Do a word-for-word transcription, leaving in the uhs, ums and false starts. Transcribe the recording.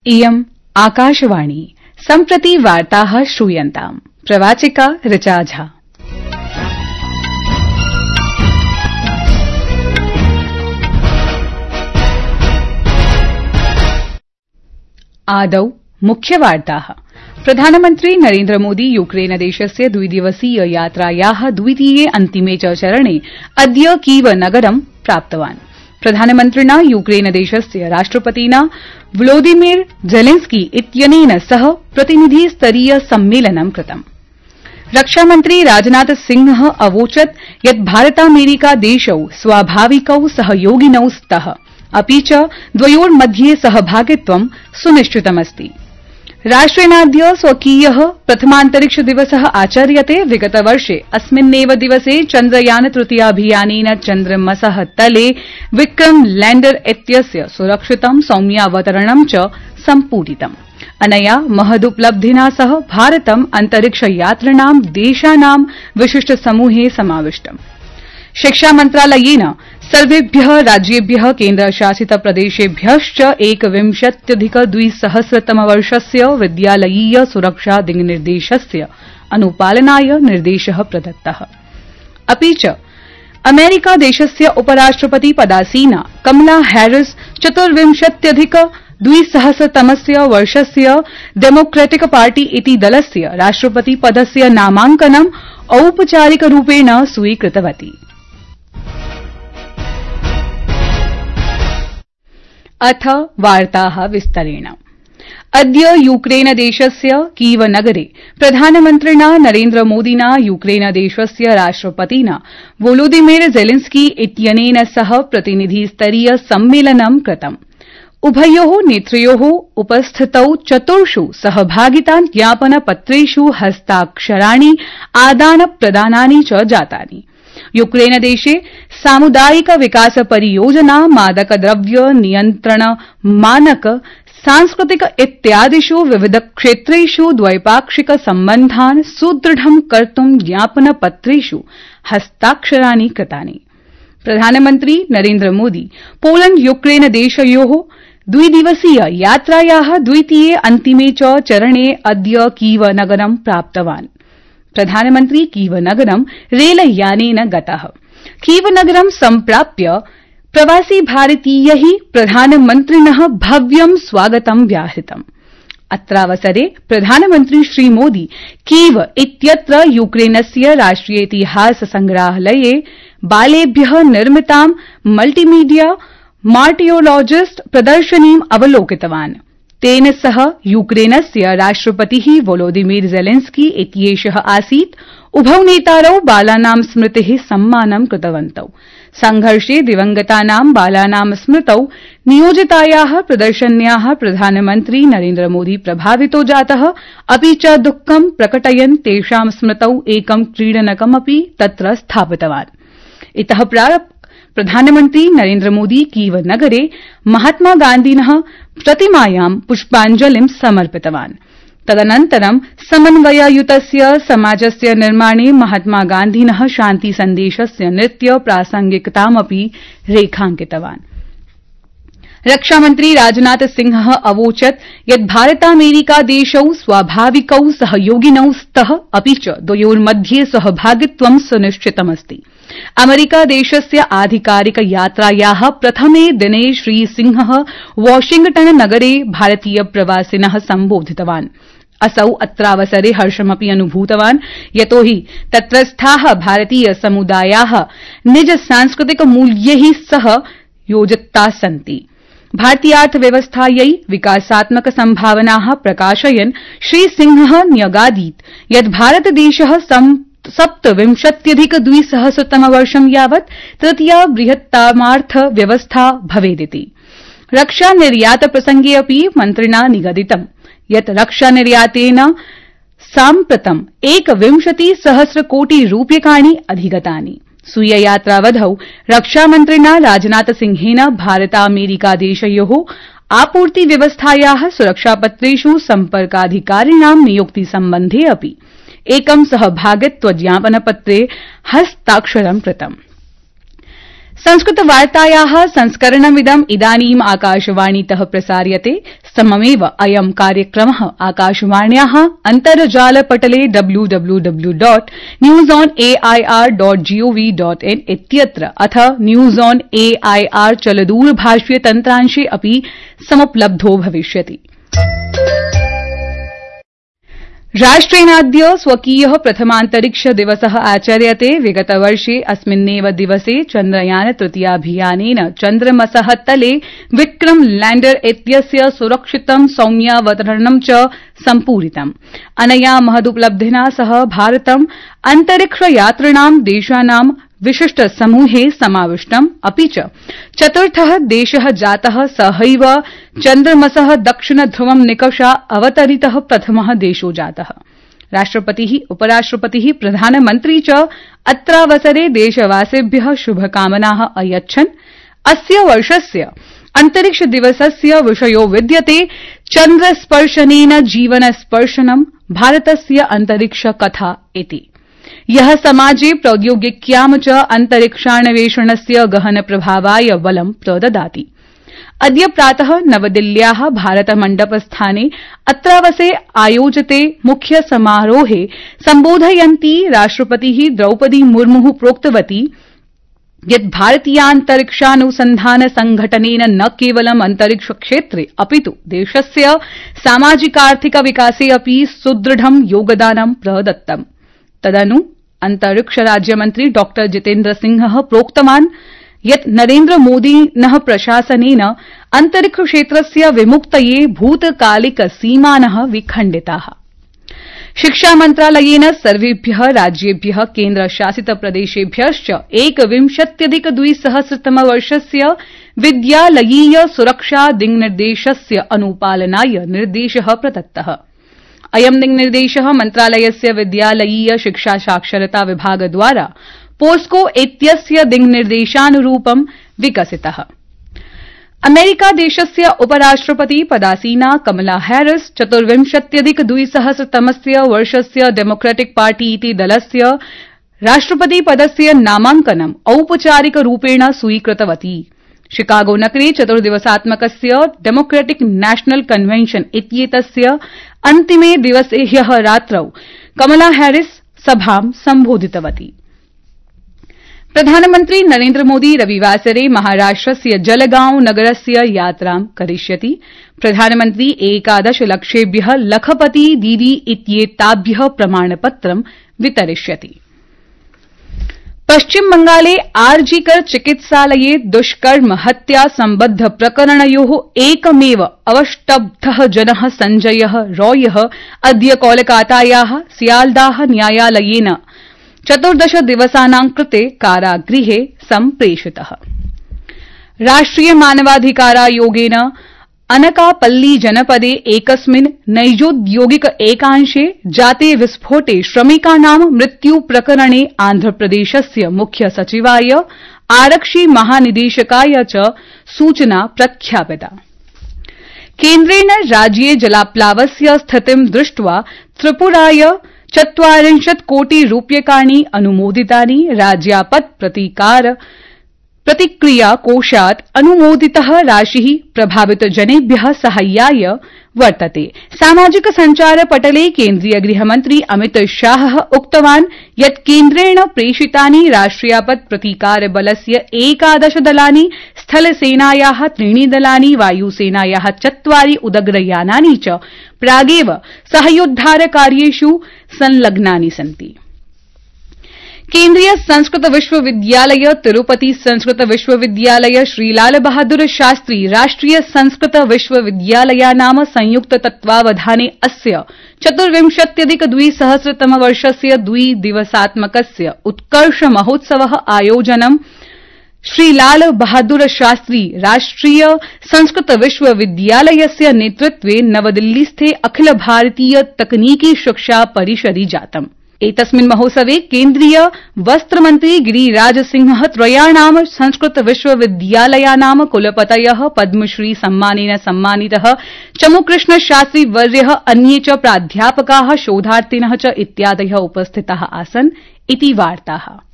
इयम् आकाशवाणी सम्प्रति वार्ताः श्रूयन्ताम्। प्रवाचिका ऋचा झा। आदौ मुख्यवार्ताः। प्रधानमन्त्री नरेन्द्र मोदी यूक्रेन देशस्य द्विदिवसीय यात्रायाः द्वितीये अन्तिमे च चरणे अद्य कीव नगरं प्राप्तवान्। प्रधानमन्त्रिणा यूक्रेन देशस्य राष्ट्रपतिना व्लोदिमिर जेलेन्स्की इत्यनेन सह प्रतिनिधि स्तरीय सम्मेलनं कृतम्। रक्षामन्त्री राजनाथ सिंह अवोचत् यत् भारतामेरिका देशौ स्वाभाविकौ सहयोगिनौ स्तः, अपि च द्वयोर्मध्ये सहभागित्वं सुनिश्चितमस्ति। राष्ट्रेणाद्य स्वकीयः प्रथमान्तरिक्ष दिवसः आचर्यते। विगतवर्षे अस्मिन्नेव दिवसे चन्द्रयान तृतीयाभियानेन चन्द्रमसः तले विक्रम लैण्डर इत्यस्य सुरक्षितं सौम्यावतरणं च सम्पूरितम्। अनया महदुपलब्धिना सह भारतम् अन्तरिक्षयात्रिणां देशानां विशिष्ट समूहे समाविष्टम्। शिक्षा मन्त्रालयेन सर्वेभ्यः राज्येभ्यः केन्द्रशासित प्रदेशेभ्यश्च एकविंशत्यधिक द्विसहस्रतमवर्षस्य विद्यालयीय सुरक्षा दिङ्निर्देशस्य अनुपालनाय निर्देशः प्रदत्तः। अपि च अमेरिका देशस्य उपराष्ट्रपति पदासीना कमला हैरिस चतुर्विंशत्यधिक द्विसहस्रतमस्य वर्षस्य डेमोक्रेटिक पार्टी इति दलस्य राष्ट्रपति पदस्य नामाङ्कनं औपचारिकरूपेण स्वीकृतवती। अथ वार्ताः विस्तरेण। अद्य यूक्रेन देशस्य कीव नगरे प्रधानमन्त्रिणा नरेन्द्र मोदिना यूक्रेन देशस्य राष्ट्रपतिना वोलोदिमिर जेलेन्स्की इत्यनेन सह प्रतिनिधि स्तरीय सम्मेलनं कृतम्। उभयोः नेतृयोः उपस्थितौ चतुर्षु सहभागिता ज्ञापनपत्रेषु हस्ताक्षराणि आदान प्रदानानि च जातानि। यूक्रेन देशे सामुदायिक विकास परियोजना, मादकद्रव्य नियन्त्रण मानक, सांस्कृतिक इत्यादिषु विविध क्षेत्रेषु द्वैपाक्षिक सम्बन्धान् सुदृढं कर्तुं ज्ञापनपत्रेषु हस्ताक्षराणि कृतानि। प्रधानमन्त्री नरेन्द्र मोदी पोलैण्ड यूक्रेन देशयोः द्विदिवसीय यात्रायाः द्वितीये अन्तिमे च चरणे अद्य कीव नगरं प्राप्तवान्। प्रधानमन्त्री कीव नगरं रेलयानेन गतः। कीव नगरं सम्प्राप्य प्रवासी भारतीयैः प्रधानमन्त्रिणः भव्यं स्वागतं व्याहृतम्। अत्रावसरे प्रधानमन्त्री श्रीमोदी कीव इत्यत्र यूक्रेनस्य राष्ट्रियेतिहास संग्रहालये बालेभ्यः निर्मितां मल्टीमीडिया मार्टियोलॉजिस्ट प्रदर्शनीम् अवलोकितवान्। तेन सह यूक्रेनस्य राष्ट्रपतिः वोलोदिमिर जेलेन्स्की इत्येषः आसीत्। उभौ नेतारौ बालानां स्मृतेः सम्मानं कृतवन्तौ। संघर्षे दिवंगतानां बालानां स्मृतौ नियोजितायाः प्रदर्शन्याः प्रधानमन्त्री नरेन्द्र मोदी प्रभावितो जातः, अपि च दुःखं प्रकटयन् तेषां स्मृतौ एकं क्रीडनकमपि तत्र स्थापितवान्। इतः प्राक् प्रधानमन्त्री नरेन्द्र मोदी कीव नगरे महात्मा गान्धिनः प्रतिमायां पुष्पाञ्जलिं समर्पितवान्। तदनन्तरं समन्वययुतस्य समाजस्य निर्माणे महात्मा गान्धिनः शान्ति सन्देशस्य नृत्य प्रासंगिकतामपि रेखांकितवान्। रक्षामन्त्री राजनाथ सिंह अवोचत् यत् भारतामेरिका देशौ स्वाभाविकौ सहयोगिनौ स्तः, अपि च द्वयोर्मध्ये सहभागित्वं सुनिश्चितमस्ति। अमेरिका देशस्य आधिकारिक यात्रायाः प्रथमे दिने श्रीसिंहः वाशिंग्टन नगरे भारतीय प्रवासिनः सम्बोधितवान्। असौ अत्रावसरे हर्षमपि अनुभूतवान्, यतो हि तत्रस्थाः भारतीय समुदायाः निज सांस्कृतिक मूल्यैः सह योजिताः सन्ति। भारतीयार्थव्यवस्थायै विकासात्मक सम्भावनाः प्रकाशयन् श्रीसिंहः न्यगादीत् यत् भारतदेशः सप्तविंशत्यधिक द्विसहस्रतमवर्षं यावत् तृतीया बृहत्तमार्थ व्यवस्था भवेदिति। रक्षा निर्यात प्रसंगे अपि मन्त्रिणा निगदितम् यत् रक्षा निर्यातेन साम्प्रतम् एकविंशति सहस्र कोटि रूप्यकाणि अधिगतानि। स्वीय यात्रावधौ रक्षामन्त्रिणा राजनाथ सिंहेन भारतामेरिका देशयोः आपूर्ति व्यवस्थायाः सुरक्षापत्रेषु सम्पर्काधिकारिणां नियुक्ति सम्बन्धे अपि एकं सहभागित्व ज्ञापनपत्रे हस्ताक्षरं कृतम्। संस्कृतवार्तायाः संस्करणमिदं इदानीम् आकाशवाणीतः प्रसार्यते। सममेव अयं कार्यक्रमः आकाशवाण्याः अन्तर्जालपटले W W W dot news on AIR dot gov dot in इत्यत्र अथ न्यूज ऑन एआईआर चलदूरभाषीय तन्त्रांशे अपि समुपलब्धो भविष्यति। राष्ट्रेणाद्य स्वकीयः प्रथमान्तरिक्ष दिवसः आचर्यते। विगतवर्षे अस्मिन्नेव दिवसे चन्द्रयान तृतीयाभियानेन चन्द्रमसः तले विक्रम लैण्डर इत्यस्य सुरक्षितं सौम्यावतरणं च सम्पूरितम्। अनया महदुपलब्धिना सह भारतम् अन्तरिक्षयात्रिणां देशानां विशिष्ट समूहे समाविष्टम्। अपि च चतुर्थः देशः जातः सहैव चन्द्रमसः दक्षिण ध्रुवं निकषा अवतरितः प्रथमः देशो जातः। राष्ट्रपतिः, उपराष्ट्रपतिः, प्रधानमन्त्री च अत्रावसरे देशवासिभ्यः शुभकामनाः अयच्छन्। अस्य वर्षस्य अन्तरिक्ष दिवसस्य विषयो विद्यते चन्द्रस्पर्शनेन जीवनस्पर्शनं भारतस्य अन्तरिक्ष कथा इति। यः समाजे प्रौद्योगिक्यां च अन्तरिक्षान्वेषणस्य गहन प्रभावाय बलं प्रददाति। अद्य प्रातः नवदिल्ल्याः भारतमण्डपस्थाने अत्रावसरे आयोजिते मुख्य समारोहे सम्बोधयन्ती राष्ट्रपतिः द्रौपदी मुर्मुः प्रोक्तवती यत् भारतीयान्तरिक्षानुसन्धान संघटनेन न केवलं अन्तरिक्षक्षेत्रे अपितु देशस्य सामाजिकार्थिक विकासे अपि सुदृढं योगदानं प्रदत्तम्। तदनु अन्तरिक्ष राज्यमन्त्री डॉ जितेन्द्र सिंहः प्रोक्तवान् यत् नरेन्द्र मोदिनः प्रशासनेन अन्तरिक्षक्षेत्रस्य विमुक्तये भूतकालिक सीमानः विखण्डिताः। शिक्षा मन्त्रालयेन सर्वेभ्यः राज्येभ्यः केन्द्रशासित प्रदेशेभ्यश्च एकविंशत्यधिक द्विसहस्रतमवर्षस्य विद्यालयीय सुरक्षा दिङ्निर्देशस्य अनुपालनाय निर्देशः प्रदत्तः। अयं दिङ्निर्देशः मन्त्रालयस्य विद्यालयीय शिक्षा साक्षरता विभागद्वारा पोस्को इत्यस्य दिङ्निर्देशानुरूपं विकसितः। अमेरिकादेशस्य उपराष्ट्रपति पदासीना कमला हैरिस चतुर्विंशत्यधिक द्विसहस्रतमस्य वर्षस्य डेमोक्रेटिक पार्टी इति दलस्य राष्ट्रपतिपदस्य नामाङ्कनं औपचारिकरूपेण स्वीकृतवती। शिकागो नगरे चतुर्दिवसात्मकस्य डेमोक्रेटिक नेशनल कन्वेन्शन इत्येतस्य अन्तिमे दिवसे ह्यः रात्रौ कमला हैरिस सभां सम्बोधितवती। प्रधानमन्त्री नरेन्द्र मोदी रविवासरे महाराष्ट्रस्य जलगांव नगरस्य यात्रां करिष्यति। प्रधानमन्त्री एकादश लक्षेभ्यः लखपति दीदी इत्येताभ्यः प्रमाणपत्रं वितरिष्यति। पश्चिम बंगाले आरजीकर चिकित्सालये दुष्कर्म हत्या सम्बद्ध प्रकरणयोः एकमेव अवष्टब्धः जनः सञ्जयः रॉयः अद्य कोलकातायाः सियालदाह न्यायालयेन चतुर्दश दिवसानां कृते कारागृहे सम्प्रेषितः। राष्ट्रिय मानवाधिकारायोगेन अनकापल्ली जनपदे एकस्मिन् नैजोद्योगिक एकांशे जाते विस्फोटे श्रमिकानां मृत्यु प्रकरणे आन्ध्रप्रदेशस्य मुख्य सचिवाय आरक्षि महानिदेशकाय च सूचना प्रख्यापिता। केन्द्रेण राज्ये जलाप्लावस्य स्थितिं दृष्ट्वा त्रिपुराय चत्वारिंशत् कोटि रूप्यकाणि अनुमोदितानि। राज्यापत् प्रतिकार प्रतिक्रिया कोषात् अनुमोदितः राशिः प्रभावितजनेभ्यः साहाय्याय वर्तते। सामाजिक सञ्चार पटले केन्द्रीय गृहमन्त्री अमित शाहः उक्तवान् यत् केन्द्रेण प्रेषितानि राष्ट्रियापत् प्रतिकार बलस्य एकादश दलानि, स्थलसेनायाः त्रीणि दलानि, वायुसेनायाः चत्वारि उदग्रयानानि च प्रागेव साहाय्योद्धारकार्येषु संलग्नानि सन्ति। केन्द्रीय संस्कृत विश्वविद्यालय, तिरुपति संस्कृत विश्वविद्यालय, श्रीलाल बहादुर शास्त्री राष्ट्रिय संस्कृत विश्वविद्यालयानां संयुक्त तत्त्वावधाने अस्य चतुर्विंशत्यधिक द्विसहस्रतमवर्षस्य द्विदिवसात्मकस्य उत्कर्ष महोत्सवः आयोजनं श्रीलाल बहादुर शास्त्री राष्ट्रिय संस्कृत विश्वविद्यालयस्य नेतृत्वे नवदिल्लीस्थे अखिल भारतीय तकनीकी शिक्षा परिषदि जातम्। एतस्मिन् महोत्सवे केन्द्रीय वस्त्रमन्त्री गिरिराज सिंह त्रयाणां संस्कृत विश्वविद्यालयानां कुलपतयः पद्मश्री सम्मानेन सम्मानितः चमुकृष्ण शास्त्री वर्यः, अन्ये च प्राध्यापकाः, शोधार्थिनः च इत्यादयः उपस्थिताः आसन् इति वार्ताः।